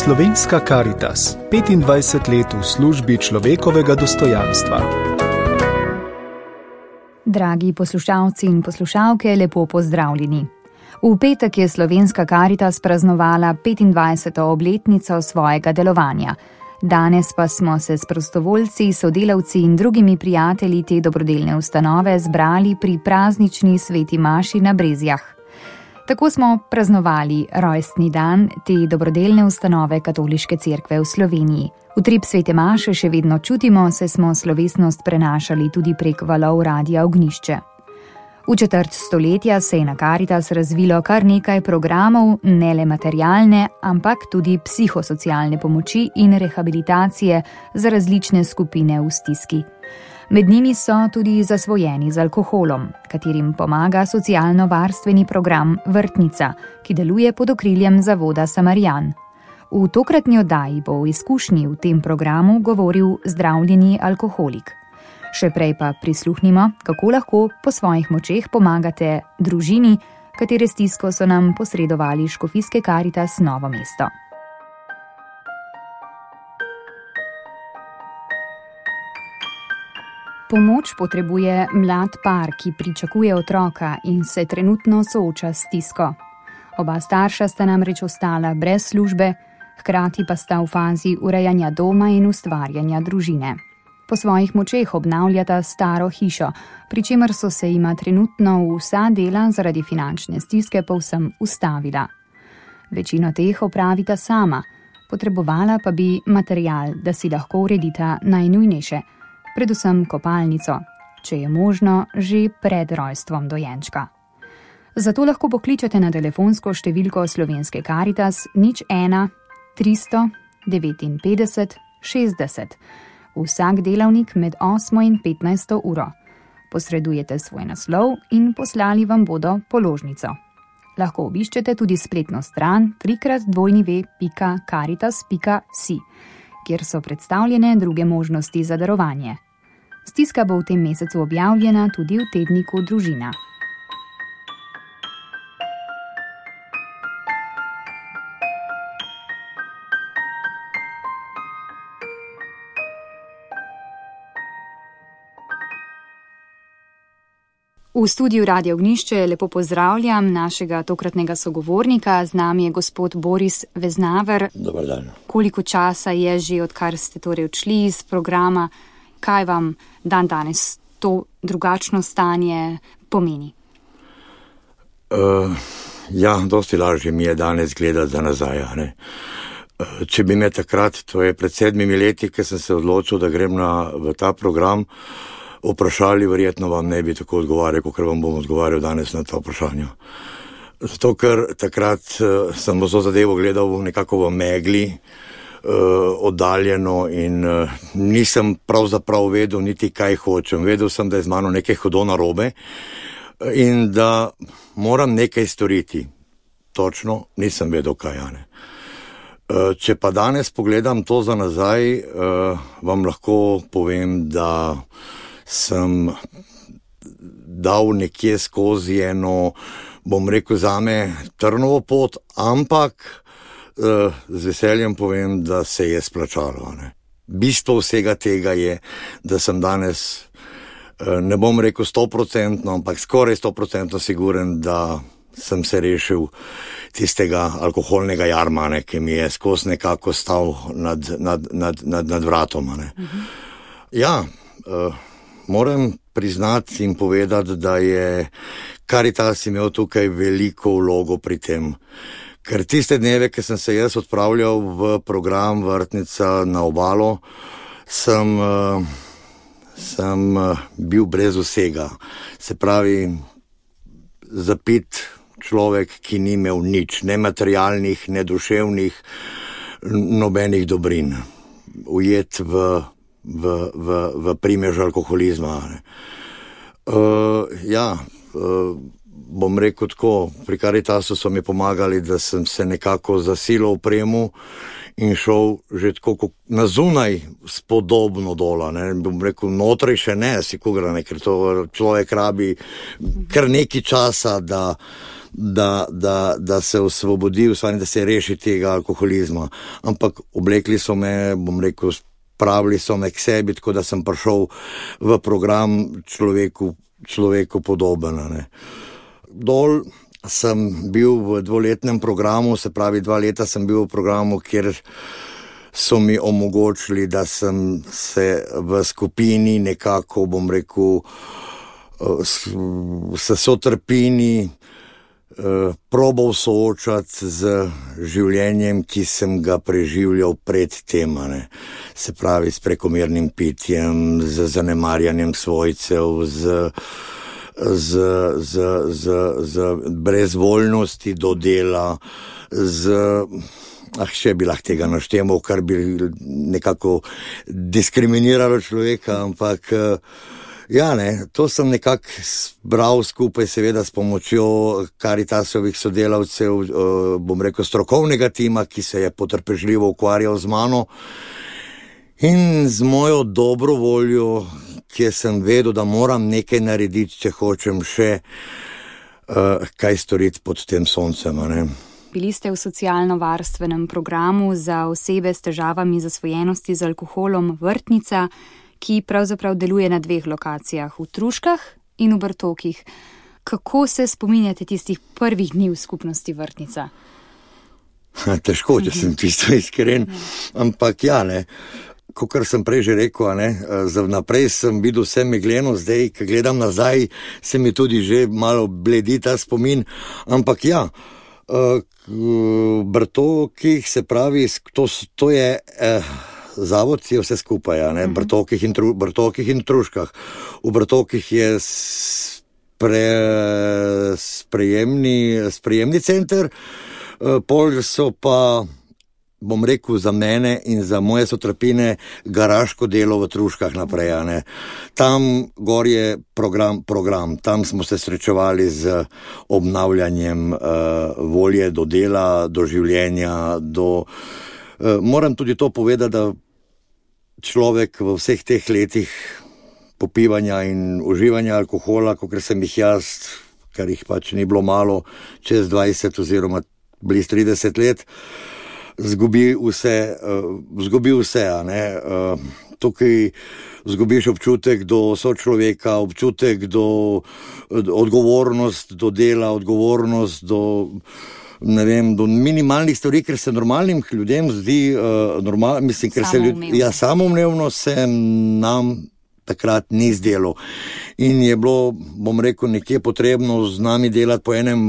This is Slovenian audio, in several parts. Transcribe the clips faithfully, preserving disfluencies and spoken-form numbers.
Slovenska Karitas, petindvajset let v službi človekovega dostojanstva. Dragi poslušalci in poslušalke, lepo pozdravljeni. V petek je Slovenska Karitas praznovala petindvajseto obletnico svojega delovanja. Danes pa smo se s prostovoljci, sodelavci in drugimi prijatelji te dobrodelne ustanove zbrali pri praznični sveti maši na Brezjah. Tako smo praznovali rojstni dan te dobrodelne ustanove Katoliške cerkve v Sloveniji. Utrip svete maše še vedno čutimo, saj smo slovesnost prenašali tudi prek valov Radia Ognjišče. V četrt stoletja se je na Karitas razvilo kar nekaj programov, ne le materialne, ampak tudi psihosocialne pomoči in rehabilitacije za različne skupine v stiski. Med njimi so tudi zasvojeni z alkoholom, katerim pomaga socialno-varstveni program Vrtnica, ki deluje pod okriljem Zavoda Samarijan. V tokratni oddaji bo o izkušnji v tem programu govoril zdravljeni alkoholik. Še prej pa prisluhnimo, kako lahko po svojih močeh pomagate družini, katere stisko so nam posredovali Škofijske Karitas Novo mesto. Pomoč potrebuje mlad par, ki pričakuje otroka in se trenutno sooča s stisko. Oba starša sta namreč ostala brez službe, hkrati pa sta v fazi urejanja doma in ustvarjanja družine. Po svojih močeh obnavljata staro hišo, pri čemer so se jima trenutno vsa dela zaradi finančne stiske povsem ustavila. Večino teh opravita sama, potrebovala pa bi material, da si lahko uredita najnujnejše, predvsem kopalnico, če je možno že pred rojstvom dojenčka. Zato lahko pokličete na telefonsko številko Slovenske Karitas nič ena tristo devetinpetdeset šestdeset. Vsak delavnik med osmo in petnajsto uro. Posredujete svoj naslov in poslali vam bodo položnico. Lahko obiščete tudi spletno stran trikrat dvojni pika karitas pika si, kjer so predstavljene druge možnosti za darovanje. Stiska bo v tem mesecu objavljena tudi v tedniku Družina. V studiu Radia Ognjišče lepo pozdravljam našega tokratnega sogovornika. Z nami je gospod Boris Veznaver. Dobar dan. Koliko časa je že, odkar ste torej odšli iz programa? Kaj vam dan danes to drugačno stanje pomeni? Uh, ja, dosti lažje mi je danes gledati za nazaj. Ne? Uh, če bi me takrat, to je pred sedmimi leti, ko sem se odločil, da grem na, v ta program, vprašali, verjetno vam ne bi tako odgovarjal, kot vam bom odgovarjal danes na to vprašanje. Zato, ker takrat uh, sem vso zadevo gledal nekako v megli, uh, oddaljeno in uh, nisem pravzaprav vedel niti kaj hočem. Vedel sem, da je z mano nekaj hudo narobe in da moram nekaj storiti. Točno nisem vedel, kaj je. Uh, če pa danes pogledam to za nazaj, uh, vam lahko povem, da sem dal nekje skozi eno, bom rekel zame, trnovo pot, ampak uh, z veseljem povem, da se je splačalo. Ne. Bistvo vsega tega je, da sem danes, uh, ne bom rekel stoprocentno, ampak skoraj stoprocentno siguren, da sem se rešil tistega alkoholnega jarma, ne, ki mi je skozi nekako stal nad, nad, nad, nad, nad vratom. Ne. Mhm. Ja, uh, moram priznati in povedati, da je Karitas imel tukaj veliko vlogo pri tem. Ker tiste dneve, ki sem se jaz odpravljal v program Vrtnica na obalo, sem, sem bil brez vsega. Se pravi, zapit človek, ki ni imel nič, ne materialnih, ne duševnih, nobenih dobrin. Ujet v v, v, v primež alkoholizma. Uh, ja, uh, bom rekel tako, pri Karitasu so mi pomagali, da sem se nekako zasilil v premu in šel že tako nazunaj spodobno dola. Ne. Bom rekel, notrej še ne, si kugra, ne, ker to človek rabi kar nekaj časa, da da, da, da se osvobodi, da se reši tega alkoholizma. Ampak oblekli so me, bom rekel, spravili so me k sebi, tako da sem prišel v program človeku, človeku podoben. Ne. Dol sem bil v dvoletnem programu, se pravi dva leta sem bil v programu, kjer so mi omogočili, da sem se v skupini nekako, bom rekel, se sotrpini probal soočati z življenjem, ki sem ga preživljal pred tem, ne. Se pravi s prekomernim pitjem, z zanemarjanjem svojcev, z Z, z, z, z brezvoljnosti do dela, z, ah, še bi lahko tega naštemal, kar bi nekako diskriminiralo človeka, ampak ja, ne, to sem nekako bral skupaj seveda s pomočjo Karitasovih sodelavcev, bom rekel strokovnega tima, ki se je potrpežljivo ukvarjal z mano in z mojo dobro voljo, kjer sem vedel, da moram nekaj narediti, če hočem še uh, kaj storiti pod tem soncem. Ne? Bili ste v socialno-varstvenem programu za osebe s težavami zasvojenosti z alkoholom Vrtnica, ki pravzaprav deluje na dveh lokacijah, v Truškah in v Brtokih. Kako se spominjate tistih prvih dni v skupnosti Vrtnica? Težko, če sem čisto iskren, ampak ja, ne. Kakor sem prej že rekel, ne, za naprej sem videl vse megleno, zdaj, ko gledam nazaj, se mi tudi že malo bledi ta spomin, ampak ja, v Brtokih, se pravi, to, to je eh, zavod, je vse skupaj, ja, ne, Brtokih in, tru, Brtokih in Truškah. V Brtokih je spre, sprejemni, sprejemni center, pol so pa, bom rekel, za mene in za moje sotrpine garaško delo v Truškah naprej. Ne. Tam gor je program, program, tam smo se srečevali z obnavljanjem uh, volje do dela, do življenja, do... Uh, moram tudi to povedati, da človek v vseh teh letih popivanja in uživanja alkohola, kakor sem jih jaz, kar jih pač ni bilo malo, čez dvajset oziroma bliz trideset let, zgubi vse, uh, zgubi vse, a ne. Uh, tukaj zgubiš občutek do sočloveka, občutek do, do odgovornost do dela, odgovornost do, ne vem, do minimalnih stvari, ker se normalnim ljudem zdi, uh, normal, mislim, ker se ljud, ja, samoumevno se nam takrat ni zdelo. In je bilo, bom rekel, nekje potrebno z nami delati po enem,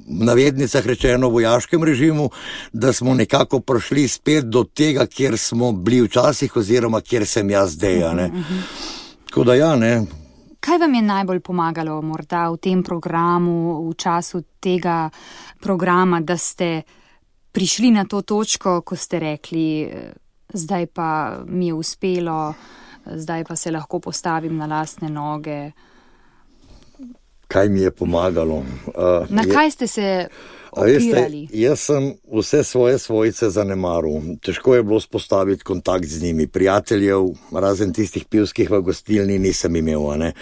navednicah rečeno, vojaškem režimu, da smo nekako prišli spet do tega, kjer smo bili včasih oziroma kjer sem jaz zdaj, ne. Tako da ja, ne. Kaj vam je najbolj pomagalo morda v tem programu, v času tega programa, da ste prišli na to točko, ko ste rekli, zdaj pa mi je uspelo, zdaj pa se lahko postavim na lastne noge? Kaj mi je pomagalo? Uh, na kaj ste se opirali? Veste, jaz sem vse svoje svojce zanemaril. Težko je bilo spostaviti kontakt z njimi. Prijateljev, razen tistih pivskih v gostilni, nisem imel. Ne?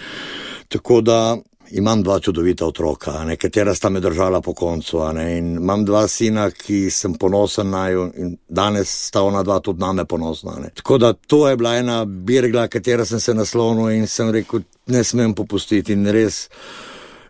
Tako da imam dva čudovita otroka, ne? Katera sta me držala po koncu. Ne? In imam dva sina, ki sem ponosen naju in danes sta ona dva tudi name ponosna. Ne? Tako da to je bila ena birgla, katera sem se naslonil in sem rekel, ne smem popustiti in res.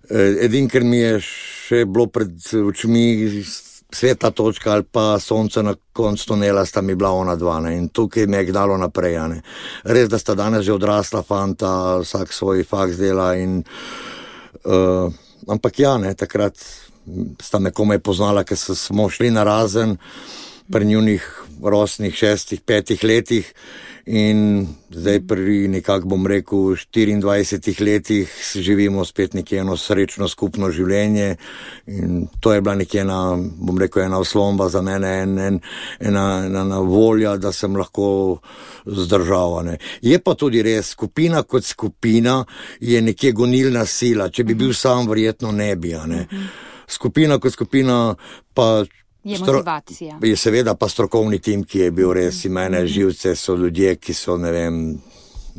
Edin, ker mi je še bilo pred očmi sveta točka ali pa sonce na koncu tunela, sta mi bila ona dva, ne? In tukaj me je gnalo naprej. Ne? Res, da sta danes že odrasla fanta, vsak svoj faks dela in uh, ampak ja, ne, takrat sta me komaj poznala, ker smo šli na razen pri njunih rosnih šestih, petih letih in zdaj pri nekako, bom rekel, štiriindvajsetih letih živimo spet nekje eno srečno skupno življenje in to je bila nekje ena, bom rekel, ena oslomba za mene, en, en, ena, ena volja, da sem lahko zdržal. Ne. Je pa tudi res, skupina kot skupina je nekje gonilna sila, če bi bil sam, verjetno ne bi. Ne. Skupina kot skupina pa je motivacija. Je seveda pa strokovni tim, ki je bil res in mene živce, so ljudje, ki so, ne vem,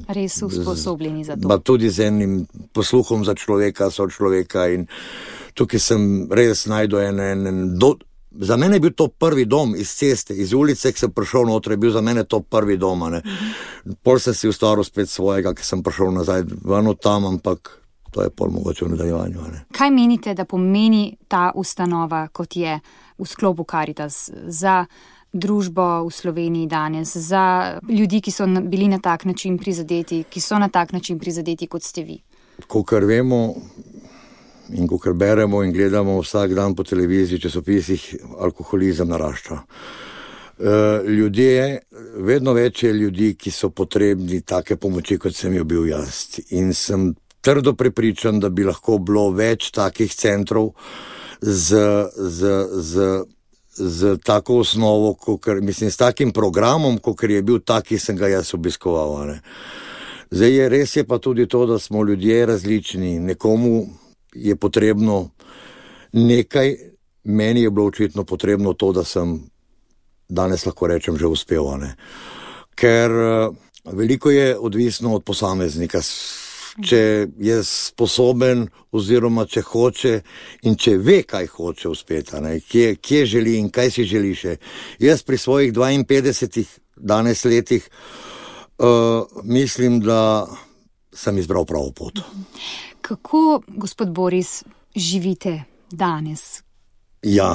res usposobljeni za to. Pa tudi z enim posluhom za človeka, so človeka in tukaj sem res najdel en, en, en do, za mene je bil to prvi dom iz ceste, iz ulice, ki sem prišel noter, je bil za mene to prvi dom, ne. Pol sem si ustvaril spet svojega, ki sem prišel nazaj ven od tam, ampak to je pol mogoče v nadaljevanju, ne. Kaj menite, da pomeni ta ustanova, kot je v sklopu Karitas, za družbo v Sloveniji danes, za ljudi, ki so bili na tak način prizadeti, ki so na tak način prizadeti, kot ste vi? Kakor vemo in kakor beremo in gledamo vsak dan po televiziji, časopisih, alkoholizem narašča. E, ljudje, vedno več je ljudi, ki so potrebni take pomoči, kot sem jo bil jaz. In sem trdo prepričan, da bi lahko bilo več takih centrov z, z, z, z tako osnovo, kakor, mislim, s takim programom, kakor je bil tak, ki sem ga jaz obiskoval, ne. Zdaj je res je pa tudi to, da smo ljudje različni. Nekomu je potrebno nekaj, meni je bilo očitno potrebno to, da sem danes lahko rečem že uspel, ne. Ker veliko je odvisno od posameznika, če je sposoben oziroma če hoče in če ve, kaj hoče uspeti, ne. Kje, kje želi in kaj si želi še. Jaz pri svojih dvainpetdesetih danes letih uh, mislim, da sem izbral pravo pot. Kako, gospod Boris, živite danes? Ja,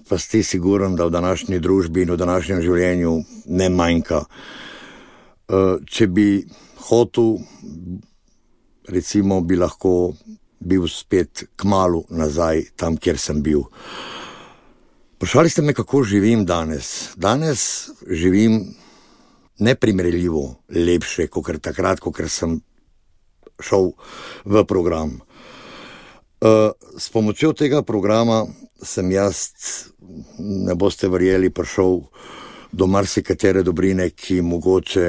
pa ste siguren, da v današnji družbi in v današnjem življenju ne manjka. Če bi hotel, recimo, bi lahko bil spet kmalu nazaj tam, kjer sem bil. Vprašali ste me, kako živim danes. Danes živim neprimerljivo lepše, kot takrat, kot sem šel v program. S pomočjo tega programa sem jaz, ne boste verjeli, prišel do marsikatere dobrine, ki mogoče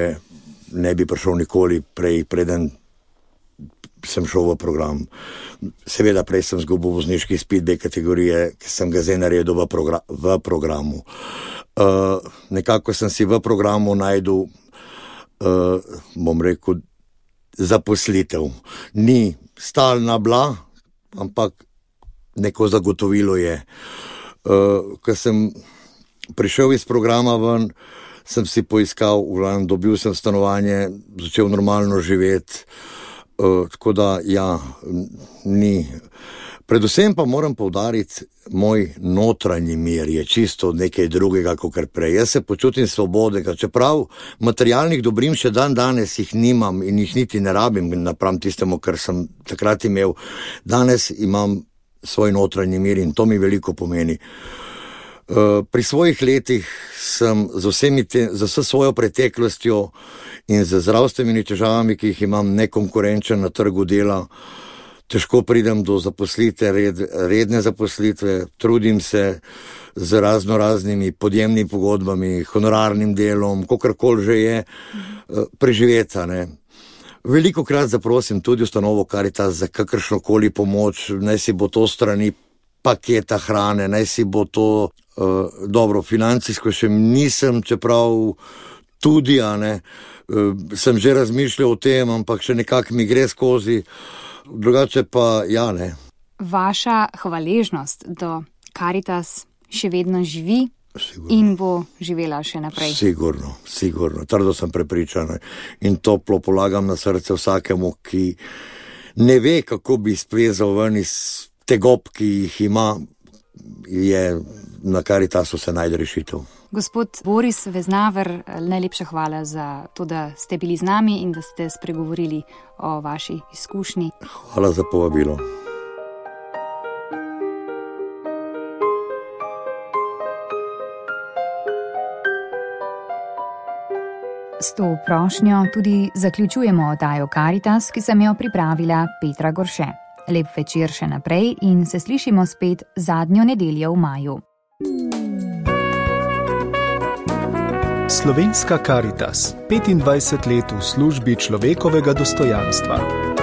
ne bi prišel nikoli prej, preden sem šel v program. Seveda prej sem zgubil vozniški izpit B kategorije, ki sem ga zdaj naredil v, progra- v programu. Uh, nekako sem si v programu najdel, uh, bom rekel, zaposlitev. Ni stalna bila, ampak neko zagotovilo je. Uh, ko sem prišel iz programa ven, sem si poiskal, vlan, dobil sem stanovanje, začel normalno živeti, uh, tako da ja, ni. Predvsem pa moram poudariti, moj notranji mir je čisto nekaj drugega, kot prej. Jaz se počutim svobodnega, čeprav materialnih dobrin še dan danes jih nimam in jih niti ne rabim napram tistemu, kar sem takrat imel. Danes imam svoj notranji mir in to mi veliko pomeni. Pri svojih letih sem z vsemi te, z vso svojo preteklostjo in z zdravstvenimi težavami, ki jih imam, nekonkurenčen na trgu dela, težko pridem do zaposlitve, red, redne zaposlitve, trudim se z razno raznimi podjemnimi pogodbami, honorarnim delom, kakorkoli že je, preživeti, ne. Velikokrat zaprosim tudi ustanovo Karitas za kakršnokoli pomoč, naj si bo to strani paketa hrane, naj si bo to, uh, dobro, financijsko še nisem, čeprav tudi, a ne, uh, sem že razmišljal o tem, ampak še nekako mi gre skozi. Drugače pa, ja, ne. Vaša hvaležnost do Karitas še vedno živi sigurno. In bo živela še naprej. Sigurno, sigurno. Trdo sem prepričan in toplo polagam na srce vsakemu, ki ne ve, kako bi splezal ven iz tegob, ki jih ima, je na Karitasu se najde rešitev. Gospod Boris Veznaver, najlepša hvala za to, da ste bili z nami in da ste spregovorili o vaši izkušnji. Hvala za povabilo. S to prošnjo tudi zaključujemo oddajo Karitas, ki sem jo pripravila Petra Gorše. Lep večer še naprej in se slišimo spet zadnjo nedeljo v maju. Slovenska Karitas, petindvajset let v službi človekovega dostojanstva.